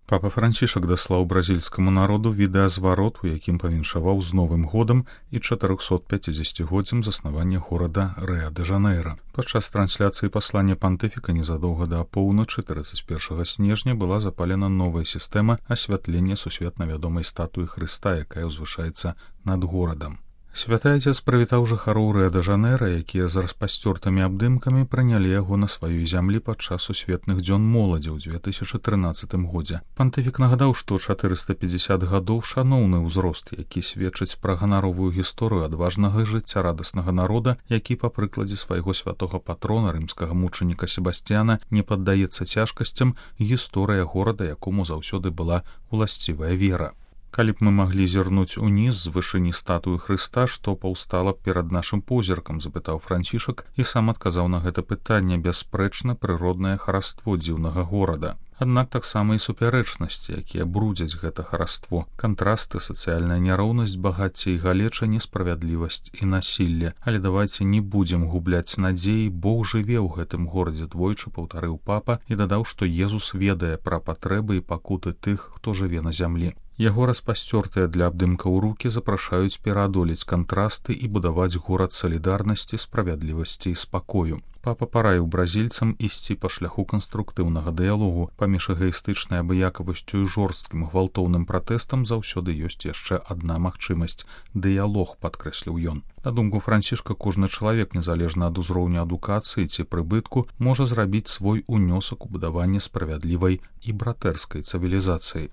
Папа Францішак даслаў бразільскаму народу відэазварот, у якім павіншаваў з Новым годам і 450-годдзям заснавання горада Рыа-дэ-Жанэйра. Падчас трансляцыі паслання пантыфіка незадоўга да апоўначы 31 снежня была запалена новая сістэма асвятлення сусветна вядомай статуі Хрыста, якая ўзвышаецца над горадам. Святы Айцец прывітаў жыхароў Рыа-дэ-Жанэйра, якія з распасцёртымі абдымкамі прынялі яго на сваёй зямлі падчас сусветных дзён моладзі ў 2013 годзе. Пантыфік нагадаў, што 450 гадоў шаноўны ўзрост, які сведчыць пра ганаровую гісторыю адважнага і жыццярадаснага народа, які па прыкладзе свайго святога патрона, рымскага мучаніка Себасцяна, не паддаецца цяжкасцям, гісторыя горада, якому заўсёды была уласцівая вера. Калі б мы маглі зірнуць уніз з вышыні статуі Хрыста, што паўстала перад нашым позіркам, запытаў Францішак і сам адказаў на гэта пытанне: бясспрэчна прыроднае хараство дзіўнага горада. Аднак таксама і супярэчнасці, якія брудзяць гэта хараство, кантрасты, сацыяльная няроўнасць, багацце і галеча, несправядлівасць і насілле. Але давайце не будзем губляць надзеі, Бог жыве ў гэтым горадзе, двойчы паўтарыў папа і дадаў, што Езус ведае пра патрэбы і пакуты тых, хто жыве на зямлі. Яго распасцёртыя для абдымкаў рукі запрашаюць пераадолець кантрасты і будаваць горад салідарнасці, справядлівасці і спакою. Папа параіў бразільцам ісці па шляху канструктыўнага дыялогу. Паміж эгаістычнай абыякавасцю і жорсткім гвалтоўным пратэстам заўсёды ёсць яшчэ адна магчымасць — дыялог, падкрэсліў ён. На думку Францішка, кожны чалавек, незалежна ад узроўню адукацыі ці прыбытку, можа зрабіць свой унёсак у будаванне справядлівай і братэрскай цывілізацыі.